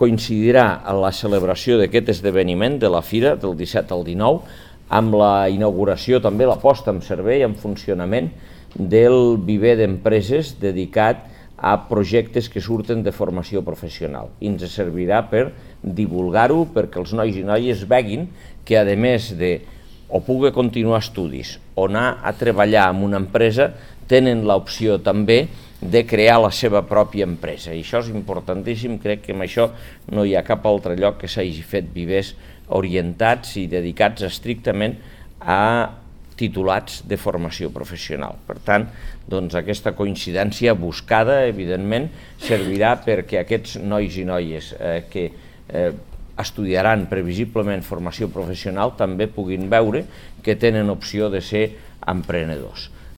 coincidirà a la celebració d'aquest esdeveniment de la Fira del 17 al 19 amb la inauguració, també la posta en servei, en funcionament del viver d'empreses dedicat a projectes que surten de formació professional. I ens servirà per divulgar-ho, perquè els nois i noies veguin que, a més de o pugui continuar estudis o anar a treballar en una empresa, tenen l'opció també de crear la seva pròpia empresa. I això és importantíssim, crec que amb això no hi ha cap altre lloc que s'hagi fet vivers orientats i dedicats estrictament a titulats de formació professional. Per tant, doncs, aquesta coincidència buscada, evidentment, servirà perquè aquests nois i noies que estudiaran previsiblement formació professional també puguin veure que tenen opció de ser emprenedors.